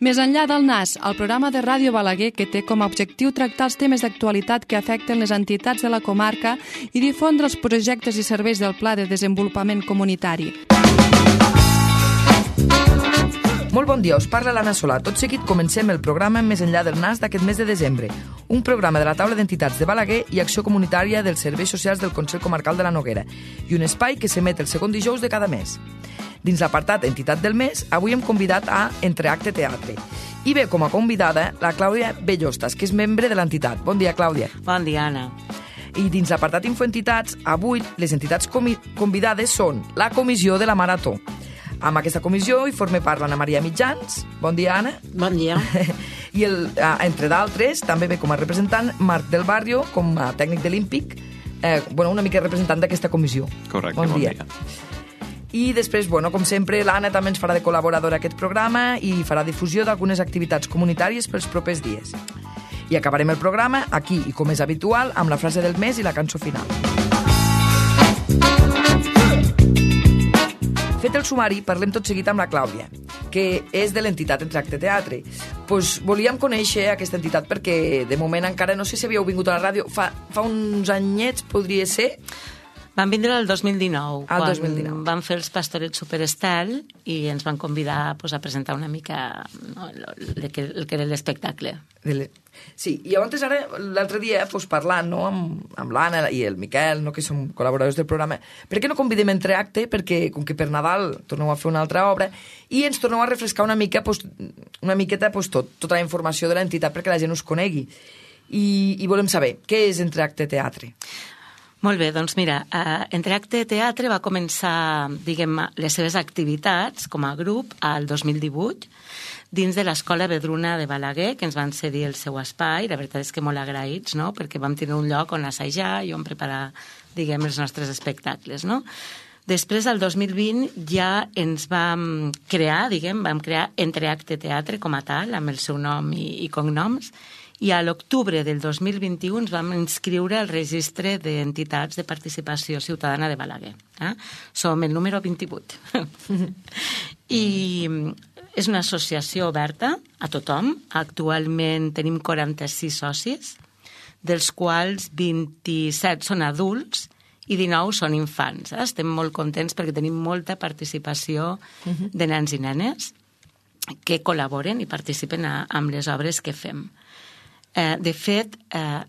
Més enllà del NAS, el programa de Ràdio Balaguer que té com a objectiu tractar els temes d'actualitat que afecten les entitats de la comarca i difondre els projectes i serveis del Pla de Desenvolupament Comunitari. Molt bon dia, us parla l'Anna Solà. Tot seguit comencem el programa Més enllà del NAS d'aquest mes de desembre, un programa de la taula d'entitats de Balaguer i acció comunitària dels serveis socials del Consell Comarcal de la Noguera i un espai que s'emet el segon dijous de cada mes. Dins l'apartat Entitat del Mes, avui hem convidat a Entreacte Teatre. I ve com a convidada la Clàudia Bellostas, que és membre de l'entitat. Bon dia, Clàudia. Bon dia, Anna. I dins l'apartat Infoentitats, avui les entitats convidades són la Comissió de la Marató. Amb aquesta comissió hi forma part l'Anna Maria Mitjans. Bon dia, Anna. Bon dia. I entre d'altres també ve com a representant Marc del Barrio, com a tècnic de l'Ímpic, una mica representant d'aquesta comissió. Correcte, bon dia. I després, com sempre, l'Anna també ens farà de col·laboradora a aquest programa i farà difusió d'algunes activitats comunitàries pels propers dies. I acabarem el programa aquí, i com és habitual, amb la frase del mes i la cançó final. Fet el sumari, parlem tot seguit amb la Clàudia, que és de l'entitat Entreacte Teatre. Volíem conèixer aquesta entitat perquè de moment encara no sé si havíeu vingut a la ràdio. Fa uns anyets, podria ser? Vam vindre el 2019, quan 2019. Vam fer els Pastorets Superestel i ens van convidar a presentar una mica el que era l'espectacle. Sí, i llavors ara, l'altre dia, parlant amb l'Anna i el Miquel, que som col·laboradors del programa, per què no convidem Entreacte? Perquè, com que per Nadal torneu a fer una altra obra, i ens torneu a refrescar una miqueta tota la informació de l'entitat perquè la gent us conegui. I volem saber, què és Entreacte Teatre? Molt bé, doncs mira, Entreacte Teatre va començar, les seves activitats com a grup al 2018 dins de l'Escola Vedruna de Balaguer, que ens van cedir el seu espai. La veritat és que molt agraïts, no?, perquè vam tenir un lloc on assajar i on preparar, els nostres espectacles, no? Després, el 2020, ja ens vam crear Entreacte Teatre com a tal, amb el seu nom i cognoms, i a l'octubre del 2021 ens vam inscriure al registre d'entitats de participació ciutadana de Balaguer. Som el número 28. I és una associació oberta a tothom. Actualment tenim 46 socis, dels quals 27 són adults i 19 són infants. Estem molt contents perquè tenim molta participació de nens i nenes que col·laboren i participen amb les obres que fem. De fet,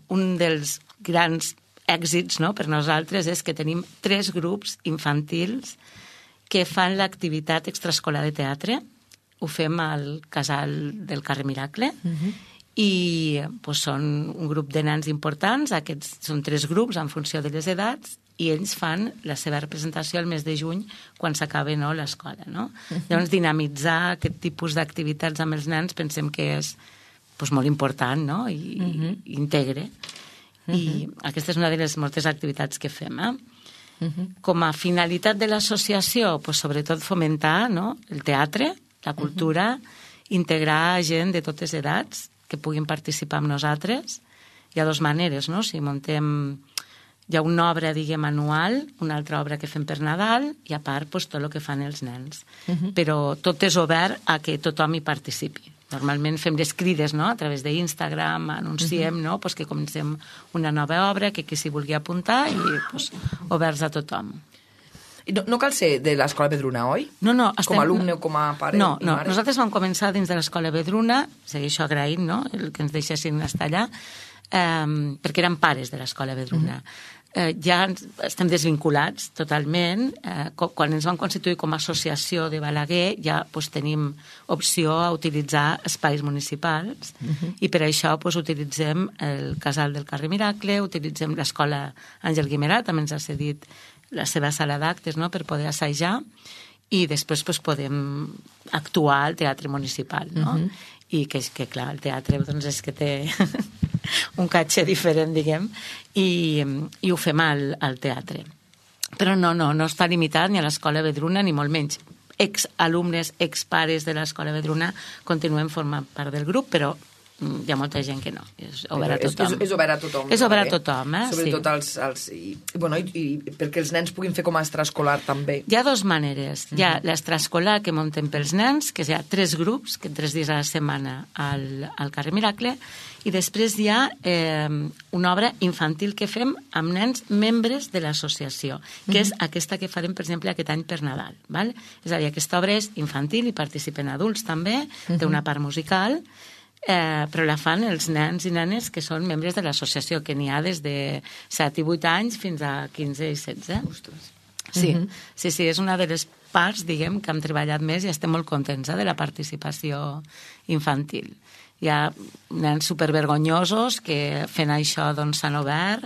un dels grans èxits per nosaltres és que tenim 3 grups infantils que fan l'activitat extraescolar de teatre. Ho fem al casal del carrer Miracle i són un grup de nens importants. Aquests són 3 grups en funció de les edats i ells fan la seva representació el mes de juny quan s'acaba l'escola. Llavors, dinamitzar aquest tipus d'activitats amb els nens pensem que és molt important, i integre. I aquesta és una de les moltes activitats que fem. Com a finalitat de l'associació, sobretot fomentar el teatre, la cultura, integrar gent de totes edats que puguin participar amb nosaltres. Hi ha 2 maneres, si muntem... Hi ha una obra, anual, una altra obra que fem per Nadal i, a part, tot el que fan els nens. Però tot és obert a que tothom hi participi. Normalment fem les crides a través d'Instagram, anunciem que comencem una nova obra, que qui s'hi vulgui apuntar i oberts a tothom. No cal ser de l'Escola Vedruna, oi? No. Com a alumne o com a pare? No. Nosaltres vam començar dins de l'Escola Vedruna, segueixo agraint el que ens deixessin estar allà, perquè eren pares de l'Escola Vedruna. Ja estem desvinculats totalment. Quan ens vam constituir com a associació de Balaguer ja tenim opció a utilitzar espais municipals i per això utilitzem el casal del carrer Miracle, utilitzem l'escola Àngel Guimerà, també ens ha cedit la seva sala d'actes per poder assajar i després podem actuar al teatre municipal. I que clar, el teatre és que té un caché diferent, i ho fem al teatre. Però no està limitat ni a l'Escola Vedruna, ni molt menys. Exalumnes, expares de l'Escola Vedruna continuem formant part del grup, però hi ha molta gent que no. És obert a tothom. És obert a tothom. És obert a tothom, Sobretot i perquè els nens puguin fer com a extraescolar també. Hi ha dues maneres. Hi ha l'extraescolar que muntem pels nens, que hi ha 3 grups, que 3 dies a la setmana al carrer Miracle, i després hi ha una obra infantil que fem amb nens membres de l'associació, que és aquesta que farem, per exemple, aquest any per Nadal. Val? És a dir, aquesta obra és infantil i participen adults també, té una part musical, però la fan els nens i nenes que són membres de l'associació, que n'hi ha des de 7 i 8 anys fins a 15 i 16. Ostres. Sí, és una de les parts, diguem, que hem treballat més i estem molt contents de la participació infantil. Hi ha nens supervergonyosos que fent això doncs s'han obert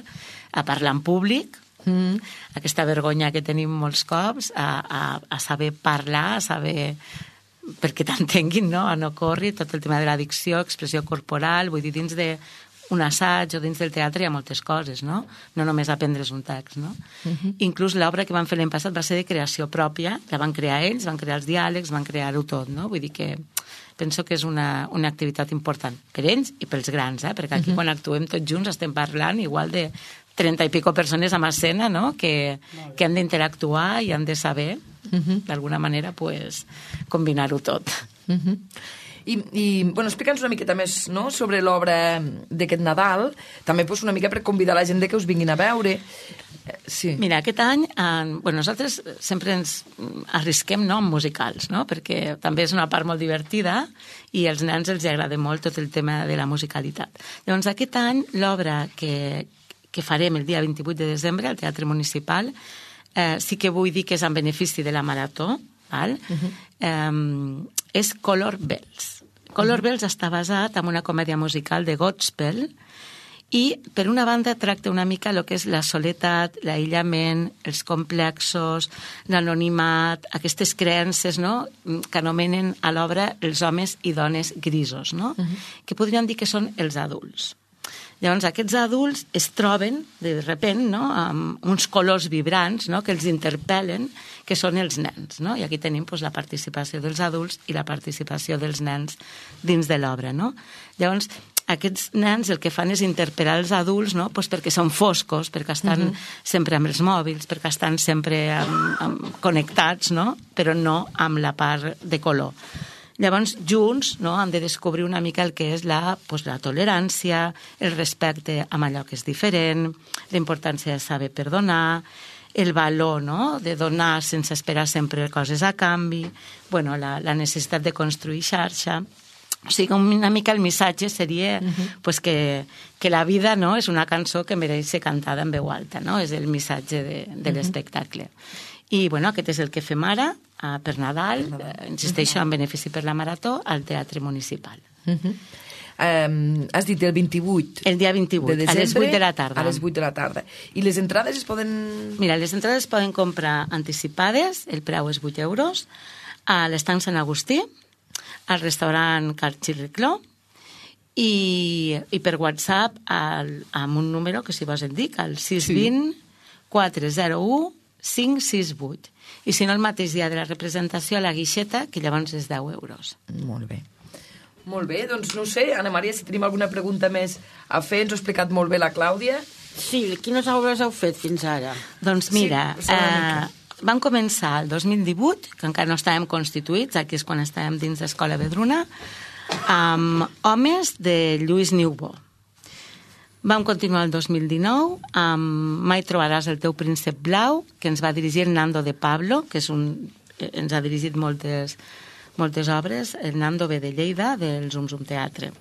a parlar en públic, aquesta vergonya que tenim molts cops, a saber parlar, a saber perquè t'entenguin, no? A no córrer, tot el tema de l'addicció, expressió corporal, vull dir, dins d'un assaig o dins del teatre hi ha moltes coses, no? No només aprendre's un text, no? Inclús l'obra que van fer l'any passat va ser de creació pròpia, la van crear ells, van crear els diàlegs, van crear-ho tot, no? Vull dir que penso que és una activitat important per ells i pels grans, perquè aquí quan actuem tots junts estem parlant igual de 30 i pico persones a escena, no? Que han d'interactuar i han de saber d'alguna manera combinar-ho tot. I explica'ns una miqueta més sobre l'obra d'aquest Nadal, també una mica per convidar la gent que us vinguin a veure. Sí. Mira, aquest any nosaltres sempre ens arrisquem amb musicals, no? Perquè també és una part molt divertida i als nens els agrada molt tot el tema de la musicalitat. Llavors aquest any l'obra que farem el dia 28 de desembre al Teatre Municipal sí que vull dir que és en benefici de la Marató, val? És Color Bells. Color Bells està basat en una comèdia musical de Godspell i, per una banda, tracta una mica el que és la soledat, l'aïllament, els complexos, l'anonimat, aquestes creences, no?, que anomenen a l'obra els homes i dones grisos, no? Que podríem dir que són els adults. Llavors, aquests adults es troben, de repent, no?, amb uns colors vibrants, no?, que els interpel·len, que són els nens, no? I aquí tenim la participació dels adults i la participació dels nens dins de l'obra, no? Llavors, aquests nens el que fan és interpel·lar els adults, no?, perquè són foscos, perquè estan sempre amb els mòbils, perquè estan sempre connectats, no?, però no amb la part de color. Llavors, junts, no, han de descobrir una mica el que és la tolerància, el respecte amb allò que és diferent, la importància de saber perdonar, el valor, no?, de donar sense esperar sempre coses a canvi, la necessitat de construir xarxa. O sigui, una mica el missatge seria que la vida, no?, és una cançó que mereix ser cantada en veu alta, no? És el missatge de l'espectacle. I, aquest és el que fem ara, per Nadal, insisteixo, en benefici per la Marató, al Teatre Municipal. Has dit el 28 el dia 28, de desembre, a les 8 de la tarda. A les 8 de la tarda. I les entrades es poden... Mira, les entrades es poden comprar anticipades, el preu és 8 euros, a l'Estanc Sant Agustí, al restaurant Car Xirricló, i per WhatsApp amb un número que si vos en dic, el 620 401 568. I si no, el mateix dia de la representació a la guixeta, que llavors és 10 euros. Molt bé. Molt bé, doncs no sé, Anna Maria, si tenim alguna pregunta més a fer, ens ho ha explicat molt bé la Clàudia. Sí, quines obres heu fet fins ara? Doncs mira, vam començar el 2018, que encara no estàvem constituïts, aquí és quan estàvem dins d'Escola Vedruna, amb Homes de Lluís Niubó. Vam continuar el 2019 amb Mai trobaràs el teu príncep blau, que ens va dirigir el Nando de Pablo, que ens ha dirigit moltes obres, el Nando ve de Lleida, del Zum Zum Teatre.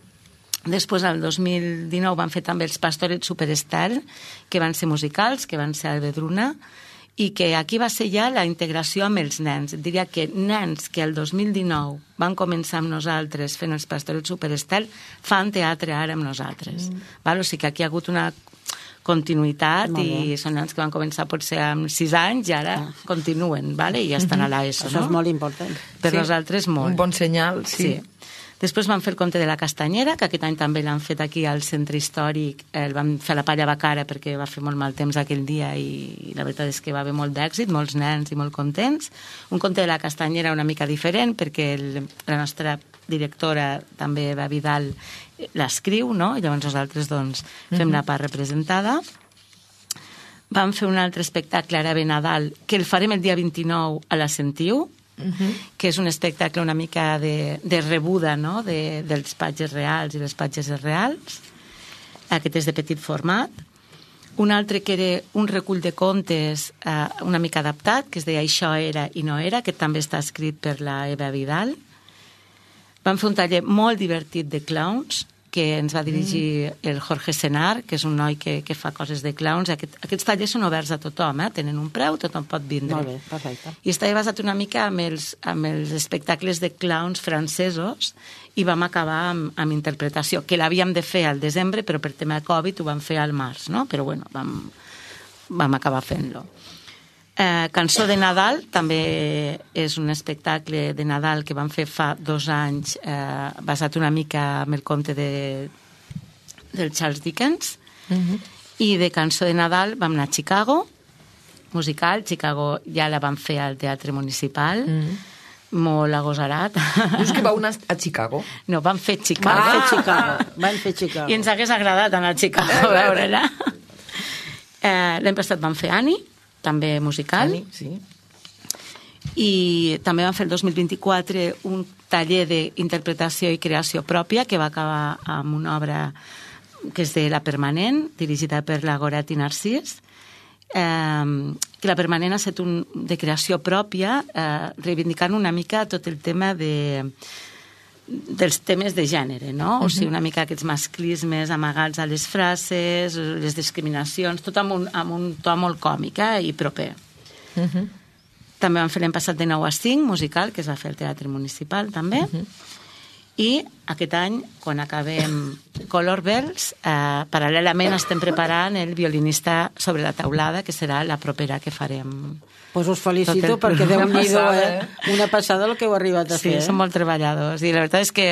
Després, el 2019, van fer també els Pastorets Superstar, que van ser musicals, que van ser a Vedruna, i que aquí va ser ja la integració amb els nens. Et diria que nens que el 2019 van començar amb nosaltres fent els Pastorets Superstar fan teatre ara amb nosaltres. O sigui que aquí hi ha hagut una continuïtat i són nens que van començar potser amb 6 anys i ara continuen i ja estan a l'ESO. Això és molt important. Per nosaltres molt. Un bon senyal, sí. Després van fer el conte de la castanyera, que aquest any també l'han fet aquí al centre històric. El van fer a la Palla Bacara perquè va fer molt mal temps aquell dia i la veritat és que va haver molt d'èxit, molts nens i molt contents. Un conte de la castanyera una mica diferent perquè la nostra directora, també Eva Vidal, l'escriu, no? I llavors nosaltres doncs, fem la part representada. Vam fer un altre espectacle ara ve Nadal, que el farem el dia 29 a la Sentiu, que és un espectacle una mica de rebuda, no? dels patges reals i les patgesses reals. Aquest és de petit format. Un altre que era un recull de contes una mica adaptat, que es deia Això era i no era, que també està escrit per la Eva Vidal. Vam fer un taller molt divertit de clowns, que ens va dirigir el Jorge Senar, que és un noi que fa coses de clowns. Aquests tallers són oberts a tothom, tenen un preu, tothom pot vindre. Molt bé, perfecte. I estava basat una mica amb els espectacles de clowns francesos i vam acabar amb interpretació, que l'havíem de fer al desembre, però per tema de Covid ho vam fer al març, no? Però bueno, vam acabar fent-lo. Cançó de Nadal també és un espectacle de Nadal que vam fer fa 2 anys basat una mica en el conte del Charles Dickens i de Cançó de Nadal vam anar a Chicago, musical. Chicago ja la vam fer al Teatre Municipal, molt agosarat. Dius que vau anar a Chicago? No, vam fer Chicago. Van fer Chicago. I ens hagués agradat anar a Chicago a veure-la. L'any passat vam fer Annie, també musical. Sí. I també vam fer el 2024 un taller d'interpretació i creació pròpia que va acabar amb una obra que és de La Permanent, dirigida per la Goretti Narcís, que La Permanent ha estat de creació pròpia, reivindicant una mica tot el tema dels temes de gènere, no? O sigui, una mica aquests masclismes amagats a les frases, les discriminacions, tot amb un to molt còmic i proper. També vam fer l'any passat de 9 a 5, musical, que es va fer al Teatre Municipal, també. I aquest any, quan acabem Color Bells, paral·lelament estem preparant el violinista sobre la taulada, que serà la propera que farem. Pues us felicito perquè Déu-n'hi-do, una passada el que heu arribat a fer. Sí, som molt treballadors i la veritat és que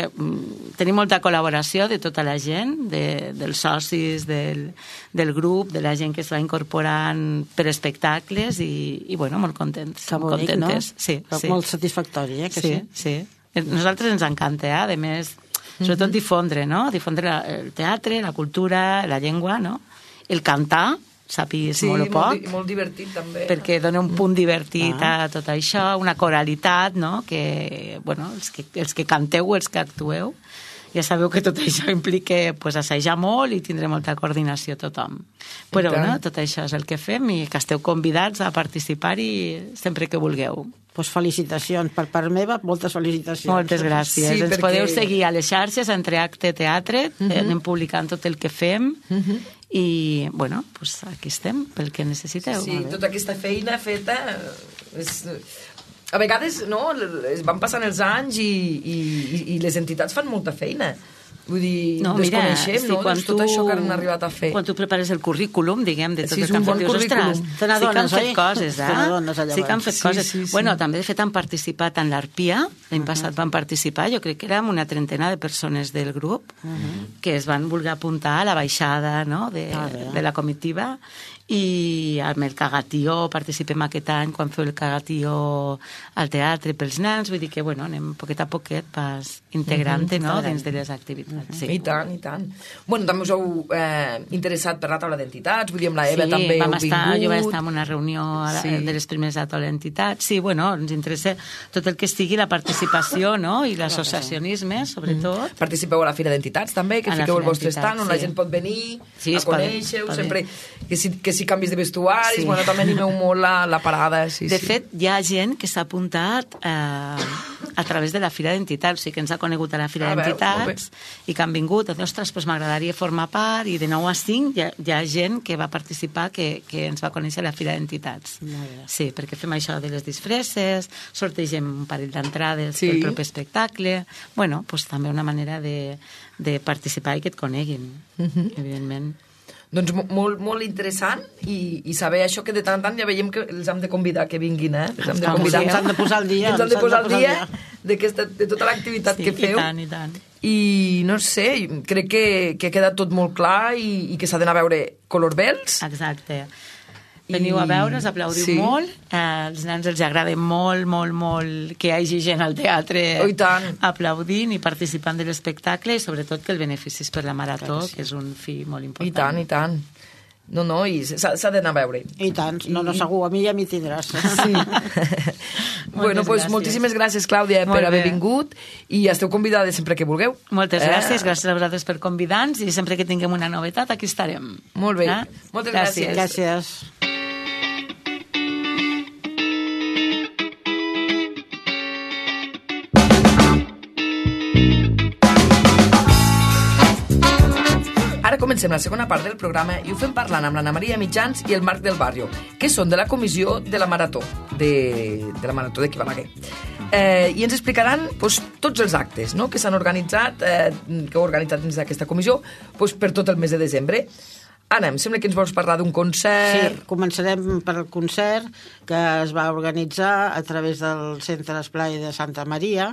tenim molta col·laboració de tota la gent, dels socis del grup, de la gent que es va incorporant per espectacles i bueno, molt contents. Que bonic, contentes. no? Sí, sí. Molt satisfactori, que sí? Sí. A nosaltres ens encanta, a més, sobretot difondre, no? Difondre el teatre, la cultura, la llengua, no? El cantar, sàpigues molt o poc. Sí, molt divertit també. Perquè dona un punt divertit a tot això, una coralitat, no? Que, bueno, els que canteu, els que actueu, ja sabeu que tot això implica pues, assajar molt i tindre molta coordinació tothom. Però bueno, tot això és el que fem i que esteu convidats a participar-hi sempre que vulgueu. Pues felicitacions. Per part meva, moltes felicitacions. Moltes gràcies. Sí, ens podeu seguir a les xarxes, entre Acte Teatre, anem publicant tot el que fem i, bueno, pues aquí estem, pel que necessiteu. Sí, tota aquesta feina feta a vegades no, es van passant els anys i les entitats fan molta feina. Vull dir, desconeixem, no? Tot això que han arribat a fer. Quan tu prepares el currículum, diguem, de tot el que han fet, dius, ostres, sí que han fet coses, Sí que han fet coses. Bueno, també, de fet, han participat en l'Arpia, l'any passat van participar, jo crec que érem una 30 de persones del grup que es van voler apuntar a la baixada de la comitiva i amb el Cagatió participem aquest any quan feu el Cagatió al teatre pels nens, vull dir que bueno, anem poquet a poquet pas integrant-te dins de les activitats. I tant, i tant. Bueno, també us heu interessat per la taula d'entitats, vull dir, amb la Eva també heu vingut. Jo vaig estar en una reunió de les primeres de taula d'entitats. Sí, bueno, ens interessa tot el que sigui la participació i l'associacionisme, sobretot. Participeu a la Fira d'Entitats també, que fiqueu el vostre stand on la gent pot venir a conèixer-ho, sempre que si canvis de vestuaris, bueno, també animeu molt la parada. De fet, hi ha gent que s'ha apuntat a través de la Fira d'Entitats, o sigui que ens ha conegut a la Fira d'Entitats i que han vingut, ostres, doncs m'agradaria formar part, i de 9 a 5 hi ha gent que va participar que ens va conèixer a la Fira d'Entitats. Sí, perquè fem això de les disfresses, sortegem un parell d'entrades pel proper espectacle, bueno, doncs també una manera de participar i que et coneguin, evidentment. Doncs molt interessant i saber això que de tant en tant ja veiem que els hem de convidar que vinguin, els hem de convidar. Ens han de posar al dia. Ens han de posar al dia de tota l'activitat que feu. I tant. I no sé, crec que ha quedat tot molt clar i que s'ha d'anar a veure color bells. Exacte. Veniu a veure, us aplaudiu molt. Els nens els agrada molt que hi hagi gent al teatre aplaudint i participant de l'espectacle i sobretot que el benefici és per la marató, que és un fi molt important. I tant. No, i s'ha d'anar a veure. I tant, segur, a mi ja m'hi tindràs. Sí. Bueno, doncs moltíssimes gràcies, Clàudia, per haver vingut i esteu convidades sempre que vulgueu. Moltes gràcies a vosaltres per convidar-nos i sempre que tinguem una novetat aquí estarem. Molt bé, moltes gràcies. Gràcies. Ara comencem la segona part del programa i ho fem parlant amb l'Anna Maria Mitjans i el Marc del Barrio, que són de la comissió de la Marató, de la Marató de Balaguer. I ens explicaran tots els actes que s'han organitzat, que heu organitzat dins d'aquesta comissió per tot el mes de desembre. Anna, em sembla que ens vols parlar d'un concert. Sí, començarem per el concert que es va organitzar a través del Centre Esplai de Santa Maria.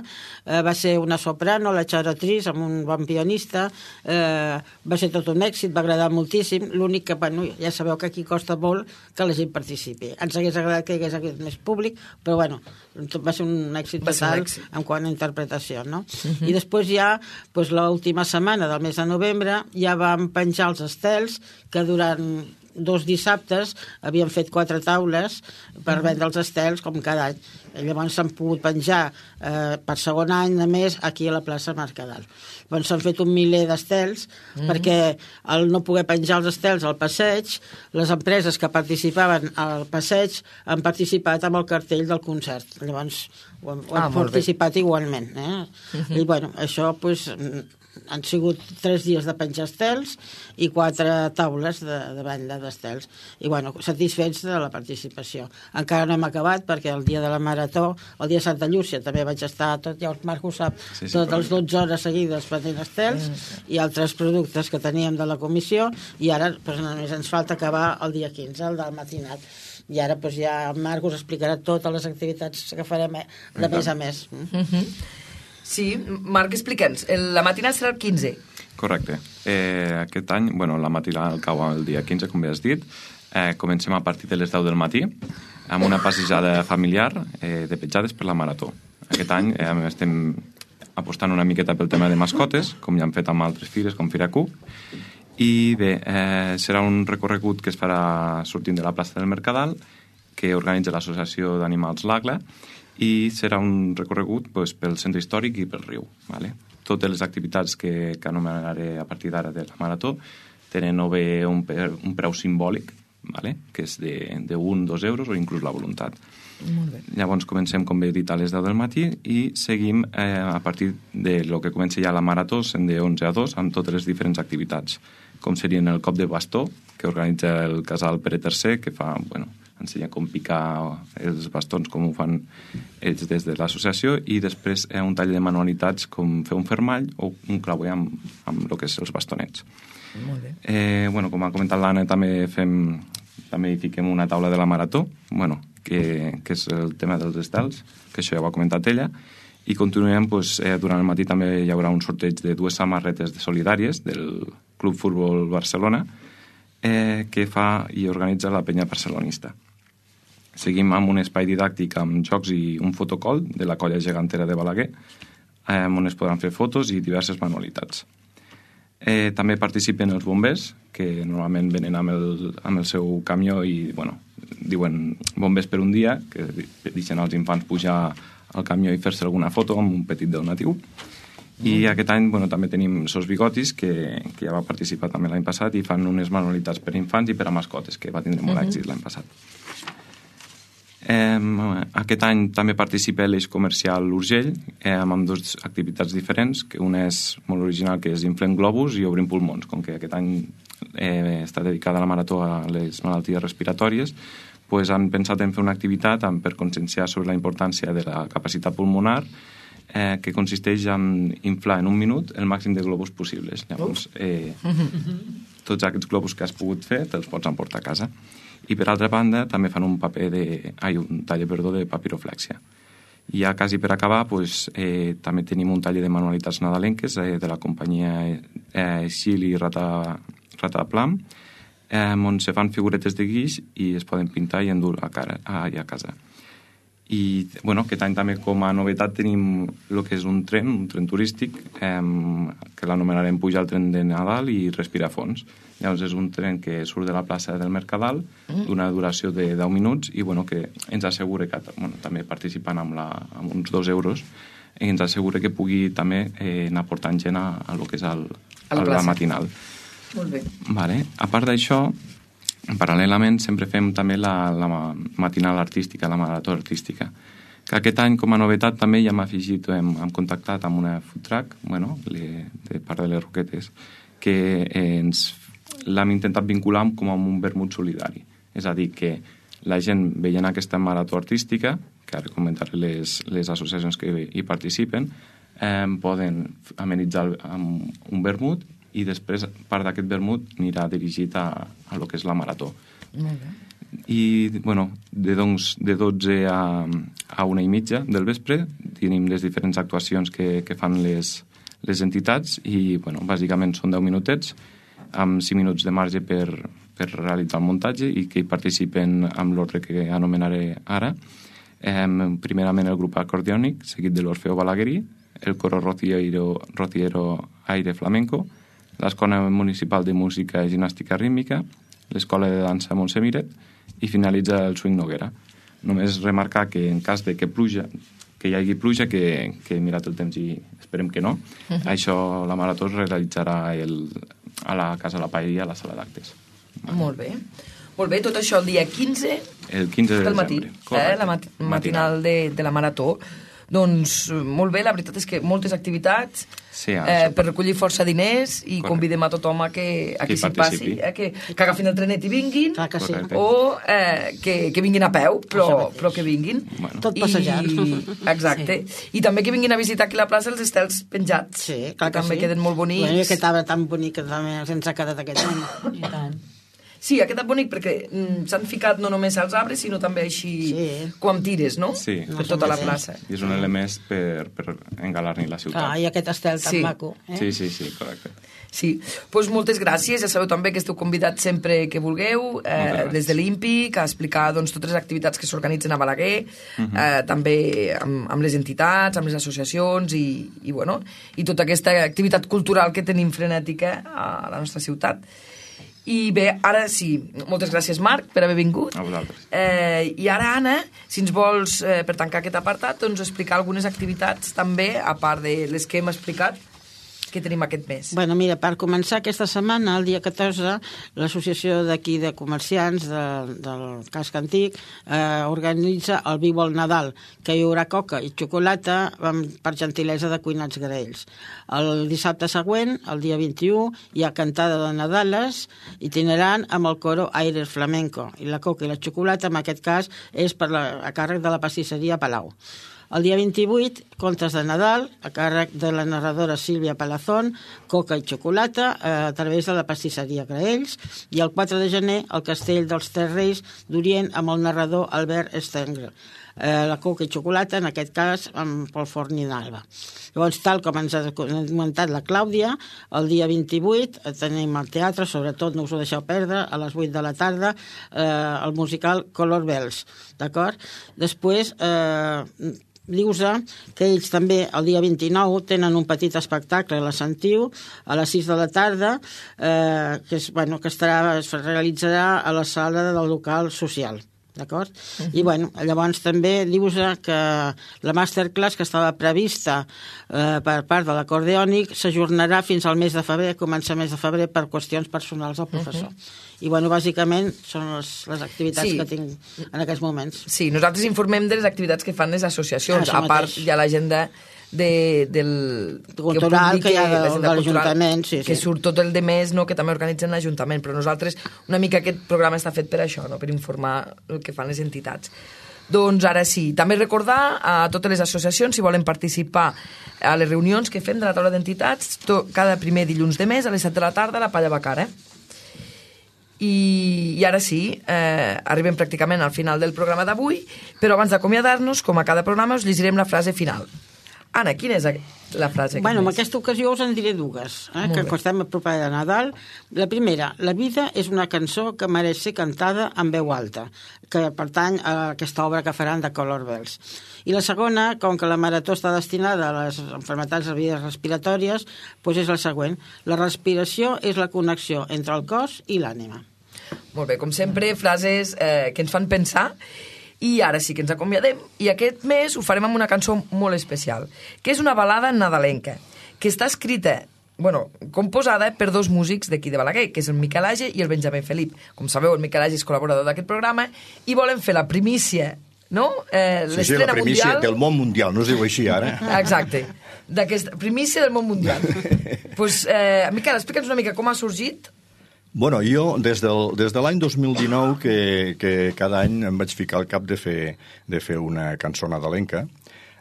Va ser una soprano, la Xarotriz, amb un bon pianista. Va ser tot un èxit, va agradar moltíssim. L'únic que, ja sabeu que aquí costa molt que la gent participi. Ens hagués agradat que hi hagués aquest més públic, però va ser un èxit total en quant a interpretació, no? I després ja, l'última setmana del mes de novembre, ja vam penjar els estels que durant 2 dissabtes havien fet 4 taules per vendre els estels, com cada any. Llavors s'han pogut penjar per segon any, a més, aquí a la plaça Mercadal. Llavors s'han fet un miler d'estels, perquè al no poder penjar els estels al passeig, les empreses que participaven al passeig han participat amb el cartell del concert. Llavors ho han participat igualment. I això, han sigut 3 dies de penjar estels i 4 taules de venda d'estels. I, satisfets de la participació. Encara no hem acabat, perquè el dia de la Marató, el dia de Santa Llúcia, també vaig estar ja el Marc ho sap, totes les 12 hores seguides venent estels i altres productes que teníem de la comissió, i ara només ens falta acabar el dia 15, el del matinat. I ara ja el Marc us explicarà totes les activitats que farem de mes a mes. Sí, Marc, explica'ns. La matinada serà el 15. Correcte. Aquest any, la matinada cau el dia 15, com bé has dit. Comencem a partir de les 10 del matí amb una passejada familiar de petjades per la Marató. Aquest any estem apostant una miqueta pel tema de mascotes, com ja hem fet amb altres fires, com Fira Q. I bé, serà un recorregut que es farà sortint de la plaça del Mercadal, que organitza l'Associació d'Animals L'Agla, i serà un recorregut pel centre històric i pel riu. Totes les activitats que anomenaré a partir d'ara de la Marató tenen o bé un preu simbòlic, que és de 1-2 euros o inclús la voluntat. Llavors comencem, com bé he dit, a les 10 del matí i seguim a partir de lo que comença ja la Marató, sent de 11 a 2, amb totes les diferents activitats, com serien el cop de bastó, que organitza el casal Pere III, que fa, ensenya com picar els bastons, com ho fan ells des de l'associació, i després un tall de manualitats com fer un fermall o un clauer amb el que és els bastonets. Molt bé. Com ha comentat l'Anna, també hi fiquem una taula de la Marató, que és el tema dels estels, que això ja ho ha comentat ella, i continuem, durant el matí també hi haurà un sorteig de 2 samarretes solidàries del Club Futbol Barcelona, que fa i organitza la penya barcelonista. Seguim amb un espai didàctic amb jocs i un fotocol de la colla gegantera de Balaguer, on es podran fer fotos i diverses manualitats. També participen els bombers, que normalment venen amb el seu camió i, diuen bombers per un dia, que deixen als infants pujar al camió i fer-se alguna foto amb un petit donatiu. I aquest any també tenim Sos Bigotis, que ja va participar també l'any passat, i fan unes manualitats per infants i per a mascotes, que va tindre molt èxit l'any passat. Aquest any també participa l'Eix Comercial Urgell, amb 2 activitats diferents, que una és molt original, que és Inflem Globus i Obrim Pulmons. Com que aquest any està dedicada a la Marató a les malalties respiratòries, han pensat en fer una activitat per conscienciar sobre la importància de la capacitat pulmonar, que consisteix en inflar en un minut el màxim de globus possibles. Llavors, tots aquests globus que has pogut fer te'ls pots emportar a casa. I per altra banda també fan un taller de papiroflèxia. I ja quasi per acabar també tenim un taller de manualitats nadalenques de la companyia Xil i Rataplam, on se fan figuretes de guix i es poden pintar i endur a casa. I aquest any també com a novetat tenim el que és un tren turístic, que l'anomenarem Pujar el tren de Nadal i Respira fons. Llavors és un tren que surt de la plaça del Mercadal d'una duració de 10 minuts i que ens assegura que també participant amb uns 2 euros ens assegura que pugui també anar portant gent a lo que és la matinal. Molt bé. Vale. A part d'això, paral·lelament sempre fem també la matinal artística, la marató artística, que aquest any com a novetat també ja hem afegit, hem contactat amb una food truck, de part de les Roquetes, que l'hem intentat vincular com amb un vermut solidari. És a dir, que la gent veient aquesta marató artística, que ara comentaré les associacions que hi participen, poden amenitzar amb un vermut i després part d'aquest vermut anirà dirigit a lo que és la marató. Molt bé. I, de 12 a 1:30 del vespre tenim les diferents actuacions que fan les entitats i, bàsicament són 10 minutets amb 5 minuts de marge per realitzar el muntatge i que hi participen amb l'ordre que anomenaré ara. Primerament el grup acordiònic, seguit de l'Orfeo Balaguerí, el coro Rociero Aire Flamenco, l'Escola Municipal de Música i Gimnàstica Rítmica, l'Escola de Dansa Montsemiret i finalitza el Swing Noguera. Només remarcar que en cas de que hi hagi pluja, que he mirat el temps i esperem que no, això la marató es realitzarà a la Casa de la Paella, a la sala d'actes. Molt bé. Molt bé, tot això el dia 15 el 15 de del matí, desembre. la matinal de la marató. Doncs molt bé, la veritat és que moltes activitats per recollir força diners i convidem a tothom a que s'hi passi, que agafin el trenet i vinguin, o que vinguin a peu, però que vinguin. Tot passejant. Exacte. I també que vinguin a visitar aquí la plaça els estels penjats, que també queden molt bonics. I aquest arbre tan bonic que també ens ha quedat aquest any. I tant. Sí, ha quedat bonic perquè s'han ficat no només als arbres, sinó també així com tires, no? Sí. Per tota la plaça. I és un element per engalar-ne la ciutat. I aquest estel tan maco. Sí, correcte. Sí, doncs moltes gràcies. Ja sabeu també que esteu convidats sempre que vulgueu, des de l'Ímpic, a explicar totes les activitats que s'organitzen a Balaguer, també amb les entitats, amb les associacions i tota aquesta activitat cultural que tenim frenètica a la nostra ciutat. I bé, ara sí, moltes gràcies Marc per haver vingut. A vosaltres. I ara Anna, si ens vols, per tancar aquest apartat, doncs explicar algunes activitats també, a part de les que hem explicat, que tenim aquest mes. Bueno, mira, per començar aquesta setmana, el dia 14, l'associació d'aquí de comerciants del casc antic organitza el Viu al Nadal, que hi haurà coca i xocolata per gentilesa de Cuinats Graells. El dissabte següent, el dia 21, hi ha cantada de Nadales itinerant amb el coro Aire Flamenco, i la coca i la xocolata, en aquest cas, és a càrrec de la pastisseria Palau. El dia 28, contes de Nadal, a càrrec de la narradora Sílvia Palazón, coca i xocolata, a través de la pastisseria Graells, i el 4 de gener, el Castell dels Tres Reis d'Orient amb el narrador Albert Stengel. La coca i xocolata, en aquest cas, amb Pol Forn i Nalba. Llavors, tal com ens ha comentat la Clàudia, el dia 28 tenim al teatre, sobretot no us ho deixeu perdre, a les 8 de la tarda, el musical Color Bells, d'acord? Després, dius que ells també el dia 29 tenen un petit espectacle a la Sentiu a les 6 de la tarda que es realitzarà a la sala del local social, d'acord? I llavors també dius que la masterclass que estava prevista per part de l'acordeònic s'ajornarà fins al mes de febrer, comença el mes de febrer per qüestions personals del professor. I bàsicament són les activitats que tinc en aquests moments. Sí, nosaltres informem de les activitats que fan les associacions, a part hi ha l'agenda cultural que hi ha de l'Ajuntament, que surt tot el de mes, que també organitzen l'Ajuntament, però nosaltres una mica aquest programa està fet per això, per informar el que fan les entitats. Doncs ara sí, també recordar a totes les associacions si volen participar a les reunions que fem de la taula d'entitats cada primer dilluns de mes a les 7 de la tarda a la Palla Bacara. I ara sí, arribem pràcticament al final del programa d'avui, però abans d'acomiadar-nos, com a cada programa, us llegirem la frase final. Anna, quina és la frase? Bueno, en aquesta ocasió us en diré dues, que estem a propera de Nadal. La primera, la vida és una cançó que mereix ser cantada en veu alta, que pertany a aquesta obra que faran de Color Bells. I la segona, com que la marató està destinada a les malalties de vies respiratòries, doncs és la següent. La respiració és la connexió entre el cos i l'ànima. Molt bé, com sempre, frases que ens fan pensar. I ara sí que ens acomiadem, i aquest mes ho farem amb una cançó molt especial, que és una balada nadalenca, que està escrita, composada per dos músics d'aquí de Balaguer, que és el Miquel Age i el Benjamí Felip. Com sabeu, el Miquel Age és col·laborador d'aquest programa, i volen fer la primícia, no? Sí, la primícia del món mundial, no es diu així ara. Exacte, d'aquesta primícia del món mundial. Doncs, Miquel, explica'ns una mica com ha sorgit. Bueno, jo, des de l'any 2019, que cada any em vaig ficar al cap de fer una cançó nadalenca.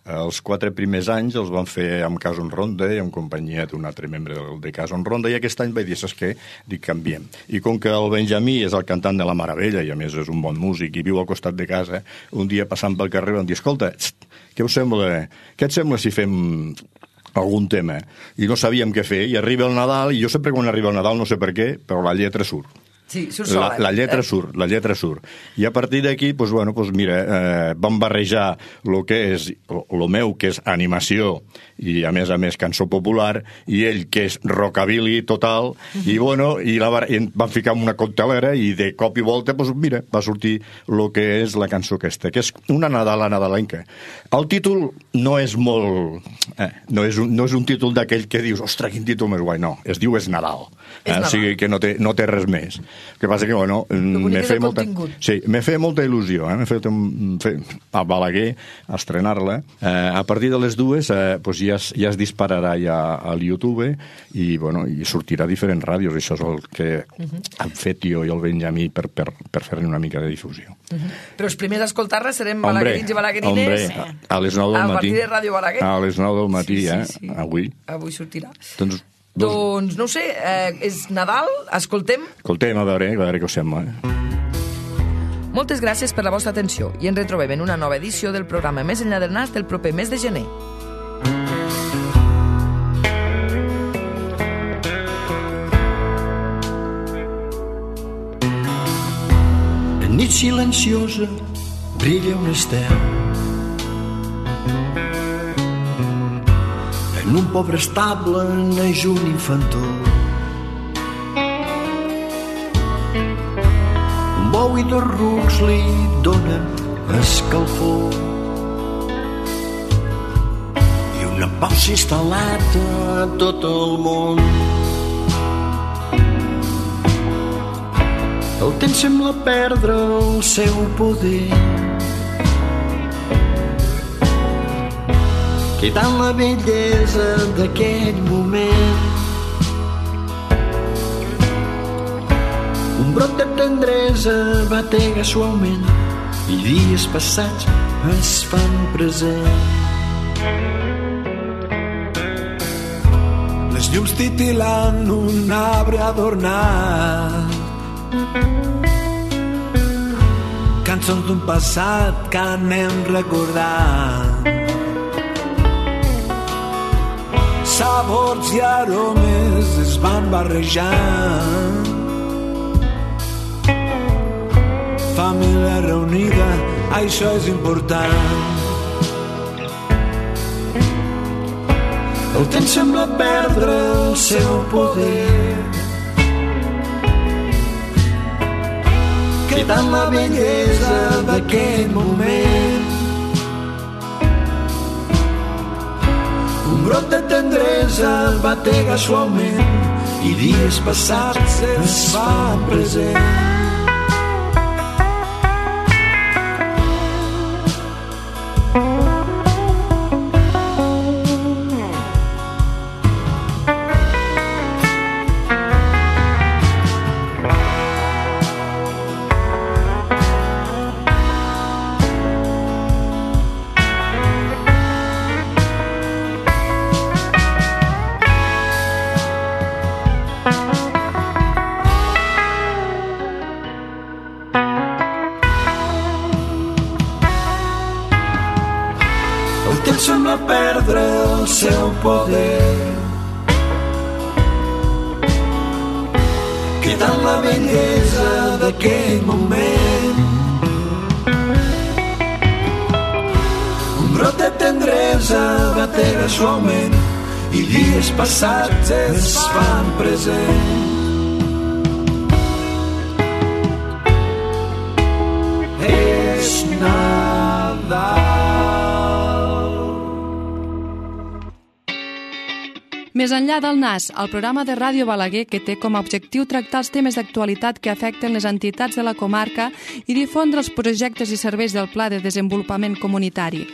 Els 4 primers anys els van fer amb Cason Ronda i en companyia d'un altre membre de Cason Ronda, i aquest any vaig dir, saps què? Dic, canviem. I com que el Benjamí és el cantant de la Meravella i a més és un bon músic i viu al costat de casa, un dia passant pel carrer vam dir, escolta, què et sembla si fem algun tema? I no sabíem què fer, i arriba el Nadal, i jo sempre quan arriba el Nadal, no sé per què, però la lletra surt. Sí, surt sola. La lletra surt. I a partir d'aquí, mira, vam barrejar el que és el meu, que és animació, i a més cançó popular, i ell, que és rockabilly total, i vam ficar en una coctelera, i de cop i volta, mira, va sortir el que és la cançó aquesta, que és una nadalenca. El títol no és molt... no és un títol d'aquell que dius, ostres, quin títol més guai, no, es diu És Nadal. O sigui que no té res més. El que passa que, m'he fet molta il·lusió, m'he fet a Balaguer a estrenar-la. A partir de les 2 ja es dispararà ja al YouTube i sortirà a diferents ràdios. Això és el que hem fet jo i el Benjamí per fer-ne una mica de difusió. Però els primers a escoltar-la serem balaguerins i balaguerines a les 9 del matí. A partir de Ràdio Balaguer. A les 9 del matí, Avui sortirà. Doncs no ho sé, és Nadal, escoltem, a veure què us sembla. Moltes gràcies per la vostra atenció i ens retrobem en una nova edició del programa Més enllà del nas del proper mes de gener. En nit silenciosa brilla un estel. En un pobre estable neix un infantó. Un bou i 2 rucs li donen escalfor. I una pau s'ha instal·lat a tot el món. El temps sembla perdre el seu poder. Quedant la bellesa d'aquell moment. Un brot de tendresa batega suaument i dies passats es fan present. Les llums titilant un arbre adornat, cançons d'un passat que anem recordant. Sabors i aromes es van barrejant. Família reunida, això és important. El temps sembla perdre el seu poder, quedant la bellesa d'aquell moment. Un brot de tendresa batega suaument i dies passats es fan present. cantant la bellesa d'aquell moment. Un brot de tendresa batega suaument i dies passats es fan presents. És Nadal. Més enllà del NAS, el programa de Ràdio Balaguer que té com a objectiu tractar els temes d'actualitat que afecten les entitats de la comarca i difondre els projectes i serveis del Pla de Desenvolupament Comunitari.